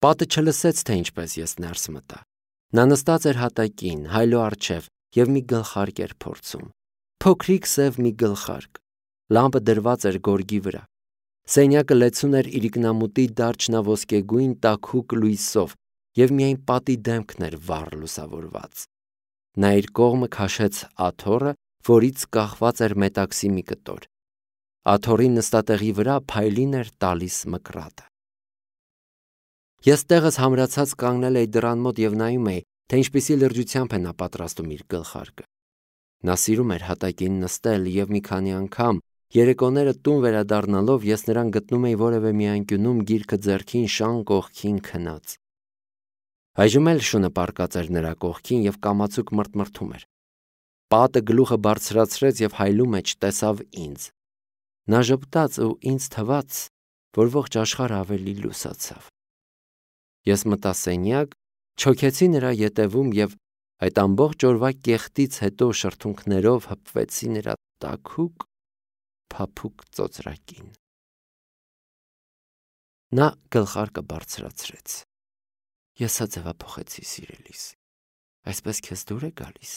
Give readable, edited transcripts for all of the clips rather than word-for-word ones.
Պատը չլսեց, թե ինչպես ես ներս մտա։ Նա նստած էր հատակին, հայլո առջև և մի գլխարկ էր փորձում։ Փոքրիկ սև մի գլխարկ։ Լամպը դրված էր գորգի վրա։ Սենյակը լեցուն էր իրիկնամուտի դարչնաոսկեգույն տաքուկ լույսով և միայն պատի դեմքն էր վառ լուսավորված։ Նա իր կողմը քաշեց աթոռը, որից կախված էր մետաքսի մի կտոր։ Աթոռի նստատեղի վրա փայլին էր տալիս մկրատը։ Ես տեղս համրացած կանգնել էի դռան մոտ և նայում էի, թե ինչպիսի լրջությամբ է նա պատրաստում իր գլխարկը։ Նա սիրում էր հատակին նստել և մի քանի անգամ երեկոները տուն վերադառնալով ես նրան գտնում էի որևէ մի անկյունում գիրքը ձեռքին շան կողքին քնած։ Այժմ էլ շունը պառկած էր նրա կողքին և կամացուկ մրթմրթում էր։ Պատը գլուխը բարձրացրեց և հայլու մեջ տեսավ ինձ։ Նա ժպտաց ու ինձ թվաց, որ ողջ աշխարհը ավելի լուսացավ։ Ես մտա սենյակ, չոքեցի նրա ետևում և այդ ամբողջ օրվա կեղտից հետո շրթունքներով հպվեցի նրա տաքուկ, փափուկ ծոծրակին։ Նա գլխարկը բարձրացրեց։ Ես սա ձևափոխեցի, սիրելիս։ Այսպես քեզ դուր է գալիս։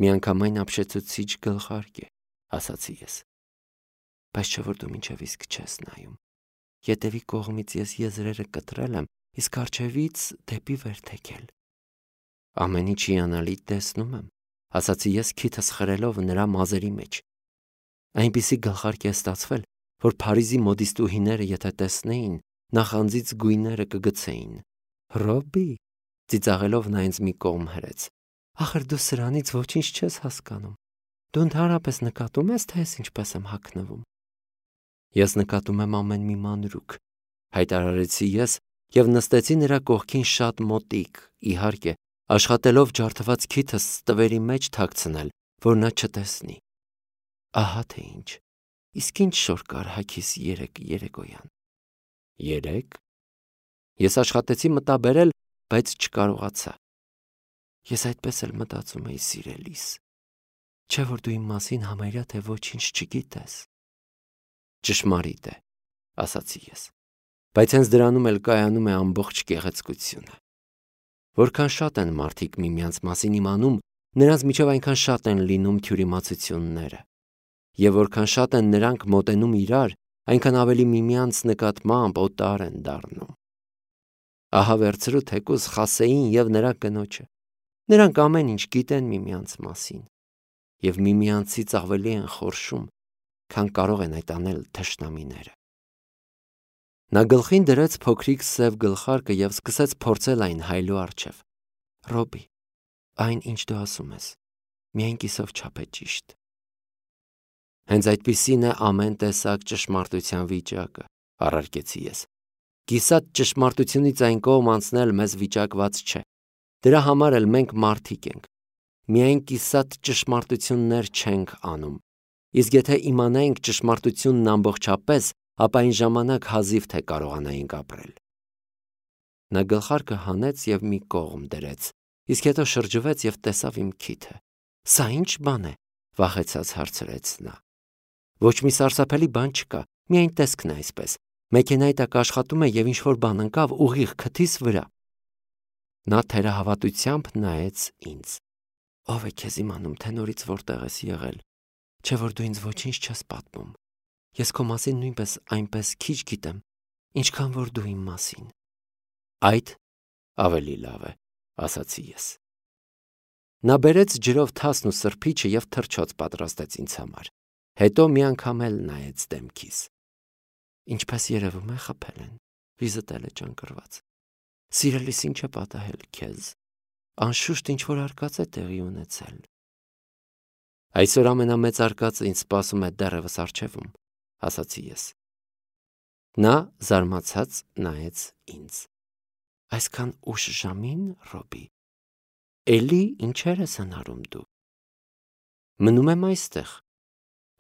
Միանգամայն ապշեցուցիչ գլխարկ է, ասացի ես։ Բայց չէ որ դու մինչև իսկ չես նայում։ Ետևի կողմից ես եզրերը կտրել եմ, իսկ առջևից դեպի վեր թեքել։ Ամեն ինչ հիանալի տեսնում եմ, ասացի ես քիթս խրելով նրա մազերի մեջ։ Այնպիսի գլխարկ է ստացվել, որ Փարիզի մոդիստուհիները եթե տեսնեին, նախանձից գույները կգցեին։ Ռոբի, ծիծաղելով նա ինձ մի կողմ հրեց։ Ախր դու սրանից ոչինչ չես հասկանում։ Դու ընդհանրապես նկատում ես, թե ես ինչպես եմ հագնվում։ Ես նկատում եմ ամեն մի մանրուք, հայտարարեցի ես և նստեցի նրա կողքին շատ մոտիկ, իհարկե, աշխատելով ջարդված քիթս տվերի մեջ թաքցնել, որ նա չտեսնի։ Ահա թե ինչ։ Իսկ ինչ շոր կար հագիս երեկոյան։ Երեկ։ Ես աշխատեցի մտաբերել, բայց չկարողացա։ Ես այդպես էլ մտածում էի, սիրելիս։ Չէ որ դու իմ մասին համարյա թե ոչինչ չգիտես։ Ճշմարիտ է, ասացի ես։ Բայց հենց դրանում էլ կայանում է ամբողջ գեղեցկությունը։ Որքան շատ են մարդիկ միմյանց մասին իմանում, նրանց միջև այնքան շատ են լինում թյուրիմացությունները։ Եվ որքան շատ են նրանք մոտենում իրար, այնքան ավելի միմյանց նկատմամբ օտար են դառնում։ Ահա վերցրու թեկուզ Խասեին և նրա կնոջը։ Նրանք ամեն ինչ գիտեն միմյանց մասին և միմյանցից ավելի են խորշում, քան կարող են այդ անել թշնամիները։ Նա գլխին դրեց փոքրիկ սև գլխարկը և սկսեց փորձել այն հայլու առջև։ Ռոբի, այն ինչ դու ասում ես, միայն կիսով չափ է ճիշտ։ Հենց այդպիսին է ամեն տեսակ ճշմարտության վիճակը, առարկեցի ես։ Կիսատ ճշմարտությունից այն կողմ անցնել մեզ վիճակված չէ։ Դրա համար էլ մենք մարդիկ ենք։ Միայն կիսատ ճշմարտություններ չենք անում։ Իսկ եթե իմանայինք ճշմարտությունն ամբողջապես, ապա այն ժամանակ հազիվ թե կարողանայինք ապրել։ Նա գլխարկը հանեց և մի կողմ դրեց, իսկ հետո շրջվեց և տեսավ իմ քիթը։ Սա ի՞նչ բան է, վախեցած հարցրեց նա։ Ոչ մի սարսափելի բան չկա, միայն տեսքն է այսպես։ Մեքենայի տակ աշխատում է և ինչ-որ բան ընկավ ուղիղ քթիս վրա։ Նա թերահավատությամբ նայեց ինձ։ Ով է քեզ իմանում, թե նորից որտեղ ես եղել, չէ որ դու ինձ ոչինչ չես պատմում։ Ես քո մասին նույնպես այնպես քիչ գիտեմ, ինչքան որ դու իմ մասին։ Այդ ավելի լավ է, ասացի ես։ Նա բերեց ջրով թասն ու սրբիչը և թռչոց պատրաստեց ինձ համար։ Հետո մի անգամ էլ նայեց դեմքիս։ Ինչպես երևում է, խփել են, վիզդ էլ է ճանկռված։ Սիրելիս, ինչ է պատահել քեզ։ Անշուշտ ինչ-որ արկած է տեղի ունեցել։ Այսօր ամենամեծ արկածը ինձ սպասում է դեռևս առջևում, ասացի ես։ Նա զարմացած նայեց ինձ։ Այսքան ուշ ժամին, Ռոբի, էլի ինչեր ես հնարում դու։ Մնում եմ այստեղ,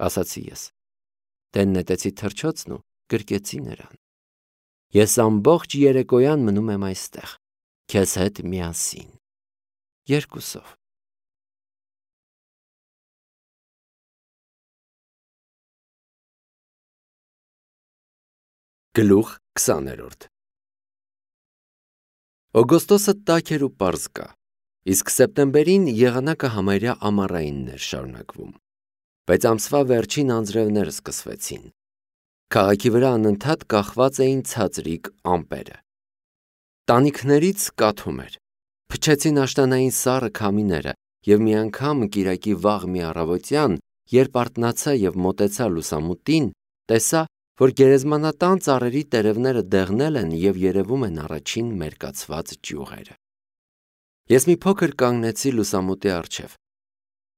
ասացի ես։ Դեն նետեցի թռչոցն ու գրկեցի նրան։ Ես ամբողջ երեկոյան մնում եմ այստեղ, քեզ հետ միասին։ Երկուսով։ Գլուխ 20 Օգոստոսը տաք էր ու պարզ կա, իսկ սեպտեմբերին եղանակը համարյա ամառայինն էր շարունակվում, բայց ամսվա վերջին անձրևները սկսվեցին։ Քաղաքի վրա անընդհատ կախված էին ցածրիկ ամպերը։ Տանիքներից կաթում էր, փչեցին աշտանային սառը քամիները, և մի անգամ կիրակի վաղ մի առավոտյան, երբ արթնացա և մոտեցա լուսամուտին, տեսա, որ գերեզմանատան ծառերի տերևները դեղնել են և երևում են առաջին մերկացված ճյուղերը։ Ես մի փոքր կանգնեցի լուսամուտի առջև։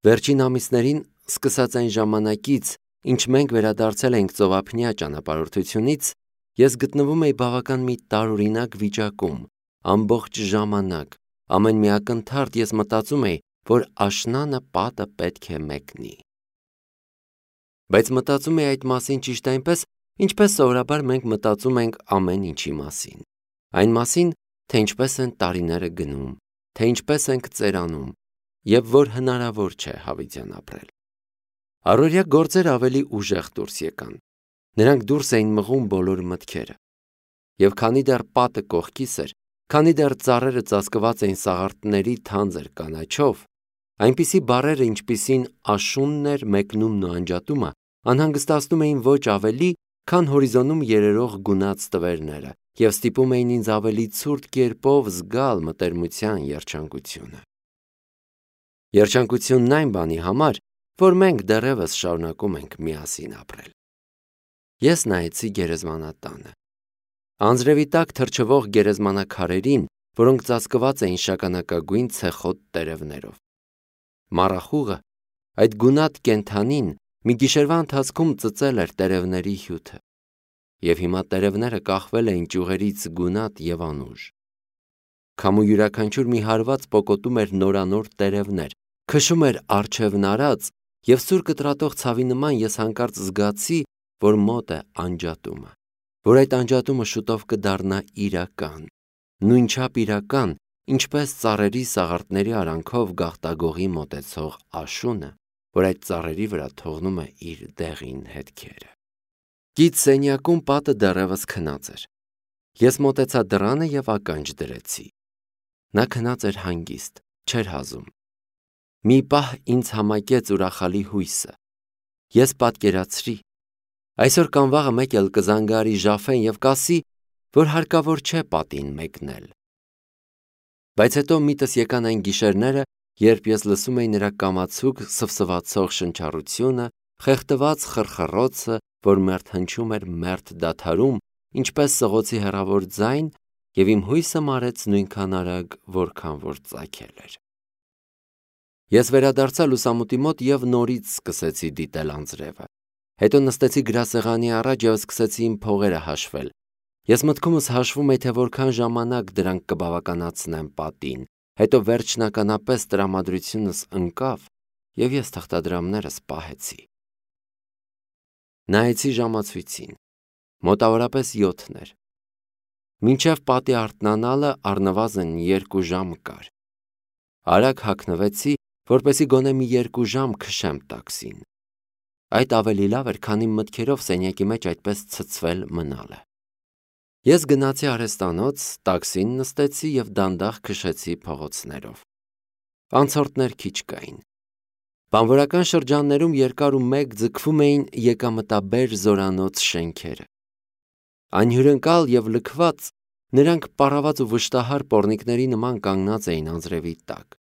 Վերջին ամիսներին, սկսած այն ժամանակից, ինչ մենք վերադարձել էինք ծովափնյա ճանապարհորդությունից, ես գտնվում էի բավական մի տարօրինակ վիճակում, ամբողջ ժամանակ, ամեն մի ակնթարթ ես մտածում էի, որ աշնանը պատը պետք է մեկնի։ Բայց մտածում էի այդ մասին ճիշտ այնպես, ինչպես սովորաբար մենք մտածում ենք ամեն ինչի մասին։ Այն մասին, թե ինչպես են տարիները գնում, թե ինչպես ենք ծերանում, և որ հնարավոր չէ հավիտյան ապրել։ Առօրյա գործեր ավելի ուժեղ դուրս եկան։ Նրանք դուրս էին մղում բոլոր մտքերը։ Եվ քանի դեռ պատը կողքիս էր, քանի դեռ ծառերը ծածկված էին սաղարթների թանձր կանաչով, այնպիսի բառերը, ինչպիսին աշունն էր, մեկնումն ու անջատումը, անհանգստացնում էին ոչ ավելի, քան հորիզոնում երերող գունած տվերները և ստիպում էին ինձ ավելի ցուրտ կերպով զգալ մտերմության երջանկությունը։ Երջանկությունն այն բանի համար, որ մենք դեռևս շարունակում ենք միասին ապրել։ Ես նայեցի գերեզմանատանը։ Անձրևի տակ թրջվող գերեզմանաքարերին, որոնք ծածկված էին շագանակագույն ցեխոտ տերևներով։ Մառախուղը, այդ գունատ կենդանին, մի գիշերվա ընթացքում ծծել էր տերևների հյութը, և հիմա տերևները կախվել էին ճյուղերից գունատ և անուշ։ Քամու յուրաքանչյուր մի հարված պոկոտում էր նորանոր տերևներ, քշում էր առջևն արած, և սուր կտրատող ցավի նման ես հանկարծ զգացի, որ մոտ է անջատումը, որ այդ անջատումը շուտով կդառնա իրական, նույնչափ իրական, ինչպես ծառերի սաղարթների արանքով գաղտագողի մոտեցող աշունը, որ այդ ծառերի վրա թողնում է իր դեղին հետքերը։ Կից սենյակում պատը դեռևս քնած էր։ Ես մոտեցա դռանը և ականջ դրեցի։ Նա քնած էր հանգիստ, չէր հազում։ Մի պահ ինձ համակեց ուրախալի հույսը։ Ես պատկերացրի. այսօր կամ վաղը մեկ էլ կզանգարի Ժաֆեն և կասի, որ հարկավոր չէ պատին մեկնել։ Բայց հետո միտս եկան այն գիշերները, երբ ես լսում էի նրա կամացուկ սվսվացող շնչառությունը, խեղդված խռխռոցը, որ մերթ հնչում էր մերթ դադարում, ինչպես սղոցի հեռավոր ձայն, և իմ հույսը մարեց նույնքան արագ, որքան որ ծագել էր։ Ես վերադարձա լուսամուտի մոտ և նորից սկսեցի դիտել անձրևը։ Հետո նստեցի գրասեղանի առաջ և սկսեցի իմ փողերը հաշվել։ Ես մտքումս հաշվում էի, թե որքան ժամանակ դրանք կբավականացնեն պատին, հետո վերջնականապես տրամադրությունս ընկավ, և ես թղթադրամներս պահեցի։ Նայեցի ժամացույցին։ Մոտավորապես 7 էր։ Մինչև պատի արթնանալը առնվազն 2 ժամ կար։ Արագ հագնվեցի, որպեսզի գոնե մի 2 ժամ քշեմ տաքսին։ Այդ ավելի լավ էր, քան իմ մտքերով սենյակի մեջ այդպես ցցվել մնալը։ Ես գնացի արհեստանոց, տաքսին նստեցի և դանդաղ քշեցի փողոցներով։ Անցորդներ քիչ կային։ Բանվորական շրջաններում երկար ու մեկ ձգվում էին եկամտաբեր զորանոց շենքերը։ Անհյուրընկալ և լքված, նրանք պառաված ու վշտահար պոռնիկների նման կանգնած էին անձրևի տակ։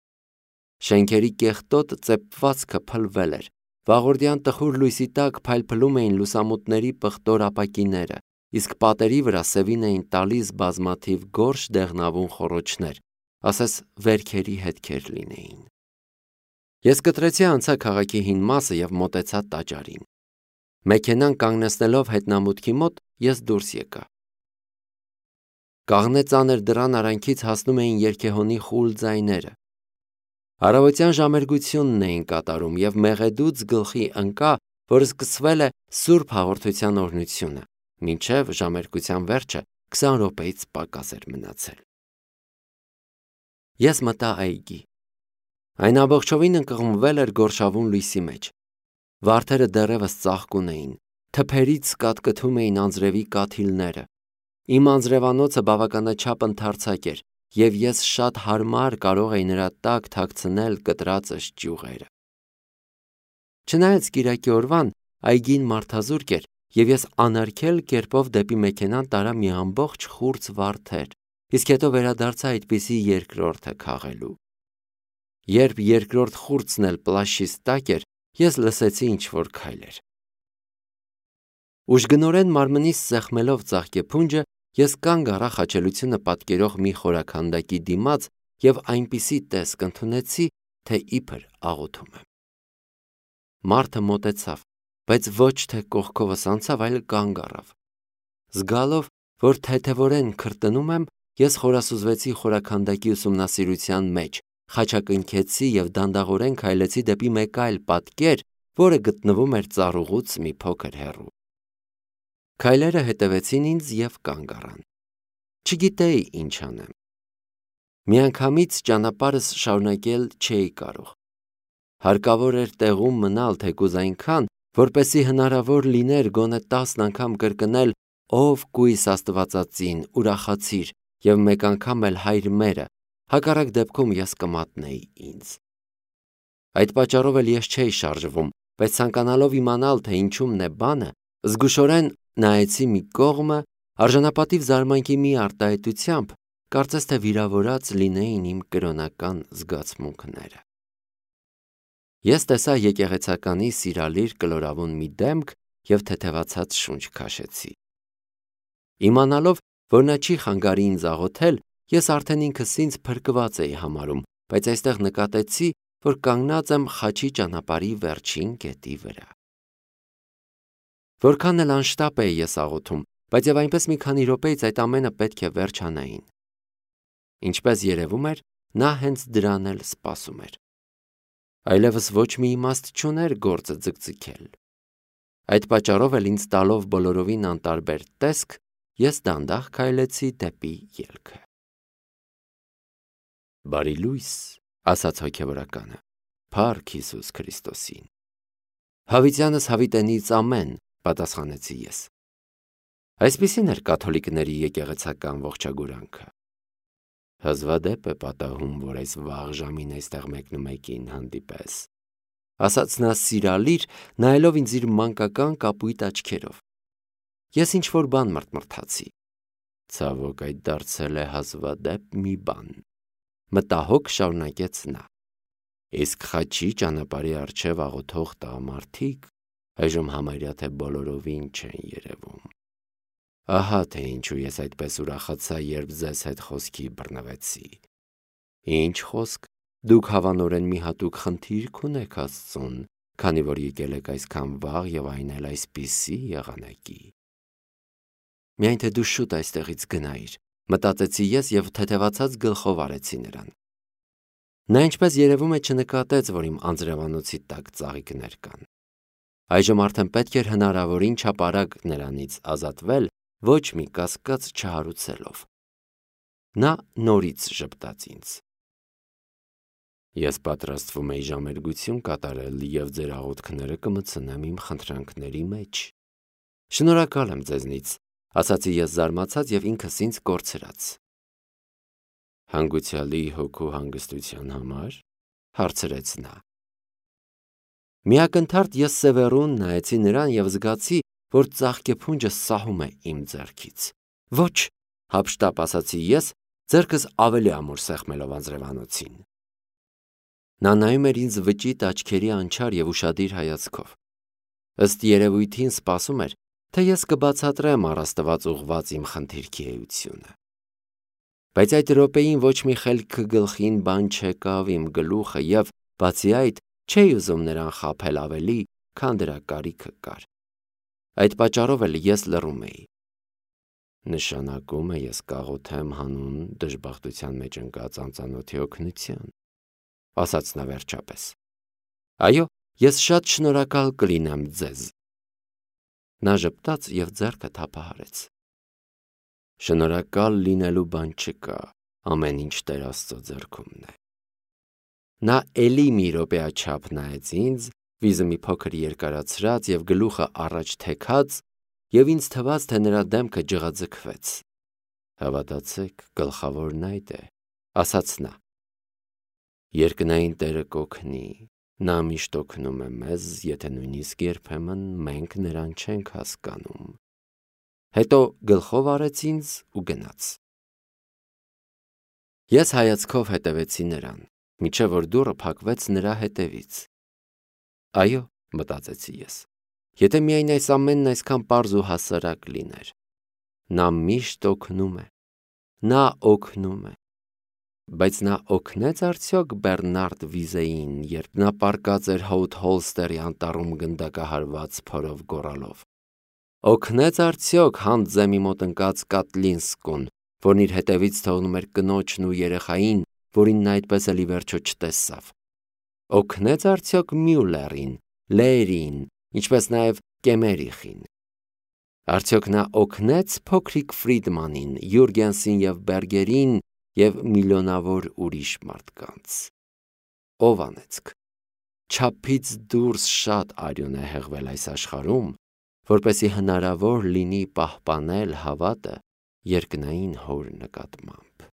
Շենքերի կեղտոտ ծեփվածքը փլվել էր։ Վաղորդյան տխուր լույսի տակ փայլփլում էին լուսամուտների պղտոր ապակիները, իսկ պատերի վրա սևին էին տալիս բազմաթիվ գորշ դեղնավուն խոռոչներ, ասես վերքերի հետքեր լինեին։ Ես կտրեցի անցա քաղաքի հին մասը և մոտեցա տաճարին։ Մեքենան կանգնեցնելով հետնամուտքի մոտ, ես դուրս եկա։ Կաղնե ծանր դռան արանքից հասնում էին երգեհոնի խուլ ձայները։ Առավոտյան ժամերգությունն էին կատարում և մեղեդուց գլխի ընկա, որ սկսվել է Սուրբ Հաղորդության օրհնությունը, մինչև ժամերգության վերջը 20 րոպեից պակաս էր մնացել։ Ես մտա այգի։ Այն ամբողջովին ընկղմվել էր գորշավուն լույսի մեջ։ Վարդերը դեռևս ծաղկուն էին, թփերից կատկթում էին անձրևի կաթիլները։ Իմ անձրևանոցը բավականաչափ ընդարձակ էր, և ես շատ հարմար կարող էի նրա տակ թաքցնել կտրածս ճյուղերը։ Չնայած կիրակի օրվան այգին մարդազուրկ էր, և ես անարգել կերպով դեպի մեքենան տարա մի ամբողջ խուրձ վարդեր, իսկ հետո վերադարձա այդպիսի երկրորդը քաղելու։ Երբ երկրորդ խուրձն էլ պլաշիս տակ էր, ես լսեցի ինչ-որ քայլեր։ Ուժգնորեն մարմնիս սեղմելով ծաղկեփունջը, ես կանգ առա խաչելությունը պատկերող մի խորաքանդակի դիմաց և այնպիսի տեսք ընդունեցի, թե իբր աղոթում եմ։ Մարդը մոտեցավ, բայց ոչ թե կողքովս անցավ, այլ կանգ առավ։ Զգալով, որ թեթևորեն քրտնում եմ, ես խորասուզվեցի խորաքանդակի ուսումնասիրության մեջ, խաչակնքեցի և դանդաղորեն քայլեցի դեպի մեկ այլ պատկեր, որը գտնվում էր ծառուղուց մի փոքր հեռու։ Քայլերը հետևեցին ինձ և կանգ առան։ Չգիտեի ինչ անեմ։ Միանգամից ճանապարհս շարունակել չէի կարող։ Հարկավոր էր տեղում մնալ թեկուզ այնքան, որպեսզի հնարավոր լիներ գոնե 10 անգամ կրկնել «Ով կույս Աստվածածին, ուրախացիր» և մեկ անգամ էլ «Հայր մերը», հակառակ դեպքում ես կմատնեի ինձ։ Այդ պատճառով էլ ես չէի շարժվում, բայց ցանկանալով իմանալ, թե ինչումն է բանը, զգուշորեն նայեցի մի կողմը, արժանապատիվ զարմանքի մի արտահայտությամբ, կարծես թե վիրավորած լինեին իմ կրոնական զգացմունքները։ Ես տեսա եկեղեցականի սիրալիր կլորավուն մի դեմք և թեթևացած շունչ քաշեցի։ Իմանալով, որ նա չի խանգարի ինձ աղոթել, ես արդեն ինքս ինձ փրկված էի համարում, բայց այստեղ նկատեցի, որ կանգնած եմ խաչի ճանապարհի վերջին կետի վրա։ Որքան էլ անշտապ էի ես աղոթում, բայց և այնպես մի քանի րոպեից այդ ամենը պետք է վերջանային։ Ինչպես երևում էր, նա հենց դրան էլ սպասում էր։ Այլևս ոչ մի իմաստ չուներ գործը ձգձգել։ Այդ պատճառով էլ ինձ տալով բոլորովին անտարբեր տեսք, ես դանդաղ քայլեցի դեպի ելքը։ Բարի լույս, ասաց հոգևորականը, փառք Հիսուս Քրիստոսին։ Հավիտյանս հավիտենից ամեն, պատասխանեցի ես։ Այսպիսին էր կաթոլիկների եկեղեցական ողջագուրանքը։ Հազվադեպ է պատահում, որ այս վաղ ժամին այստեղ մեկնումեկին հանդիպես, ասաց նա սիրալիր, նայելով ինձ իր մանկական կապույտ աչքերով։ Ես ինչ-որ բան մրթմրթացի։ Ցավոք այդ դարձել է հազվադեպ մի բան, մտահոգ շարունակեց նա։ Իսկ խաչի ճանապարհի առջև աղոթող տղամարդիկ այժմ համարյա թե բոլորովին չեն երևում։ Ահա թե ինչու ես այդպես ուրախացա, երբ ձեզ հետ խոսքի բռնվեցի։ Ինչ խոսք, դուք հավանորեն մի հատուկ խնդիր կունեք Աստծուն, քանի որ եկել եք այսքան վաղ և այն էլ այսպիսի եղանակի։ Միայն թե դու շուտ այստեղից գնայիր, մտածեցի ես և թեթևացած գլխով արեցի նրան։ Նա ինչպես երևում է չնկատեց, որ իմ անձրևանոցի տակ ծաղիկներ կան։ Այժմ արդեն պետք էր հնարավորին չափ արագ նրանից ազատվել, ոչ մի կասկած չհարուցելով։ Նա նորից ժպտաց ինձ։ Ես պատրաստվում էի ժամերգություն կատարել և ձեր աղոթքները կմտցնեմ իմ խնդրանքների մեջ։ Շնորհակալ եմ ձեզնից, ասացի ես զարմացած և ինքս ինձ կորցրած։ Հանգուցյալի հոգու հանգստության համար, հարցրեց նա։ Միակնթարթ ես սևեռուն նայեցի նրան և զգացի, որ ծաղկեփունջը սահում է իմ ձեռքից։ Ոչ, հափշտապ ասացի ես, ձեռքս ավելի ամուր սեղմելով անձրևանոցին։ Նա նայում էր ինձ վճիտ աչքերի անչար և ուշադիր հայացքով։ Ըստ երևույթին սպասում էր, թե ես կբացատրեմ առաստված ուղղված իմ խնդիրքի էությունը։ Բայց այդ րոպեին ոչ մի խելքը գլխին բան չեկավ իմ գլուխը և, բացի այդ, չէի ուզում նրան խաբել ավելի, քան դրա կարիքը կար։ Այդ պատճառով էլ ես լռում էի։ Նշանակում է ես կաղոթեմ հանուն դժբախտության մեջ ընկած անծանոթի օգնության, ասաց նա վերջապես։ Այո, ես շատ շնորհակալ կլինեմ ձեզ։ Նա ժպտաց և ձեռքը թափահարեց։ Շնորհակալ լինելու բան չկա, ամեն ինչ Տեր Աստծո ձեռքումն է։ Նա էլի մի րոպեաչափ նայեց ինձ, վիզը մի փոքր երկարացրած և գլուխը առաջ թեքած, և ինձ թվաց, թե նրա դեմքը ջղաձգվեց։ Հավատացեք, գլխավորն այդ է, ասաց նա։ Երկնային Տերը կօգնի, նա միշտ օգնում է մեզ, եթե նույնիսկ երբեմն մենք նրան չենք հասկանում։ Հետո գլխով արեց ինձ ու գնաց։ Ես հայացքով հետևեցի նրան, մինչև որ դուռը փակվեց նրա հետևից։ Այո, մտածեցի ես, եթե միայն այս ամենն այսքան պարզ ու հասարակ լիներ։ Նա միշտ օգնում է, նա օգնում է։ Բայց նա օգնեց արդյոք Բեռնարդ Վիզեին, երբ նա պառկած էր Հոութ Հոլստերի անտառում գնդակահարված փորով գոռալով։ Օգնեց արդյոք Հանձեմի մոտ ընկած Կատլինսկուն, որն իր հետևից թողնում էր կնոջն ու երեխային, որին նա այդպես էլ ի վերջո չտեսավ։ Օգնեց արդյոք Մյուլերին, Լերին, ինչպես նաև Կեմերիխին։ Արդյոք նա օգնեց փոքրիկ Ֆրիդմանին, Յուրգենսին և Բերգերին և միլիոնավոր ուրիշ մարդկանց։ Ով անեծք։ Չափից դուրս շատ արյուն է հեղվել այս աշխարհում, որպեսզի հնարավոր լինի պահպանել հավատը երկնային Հոր նկատմամբ։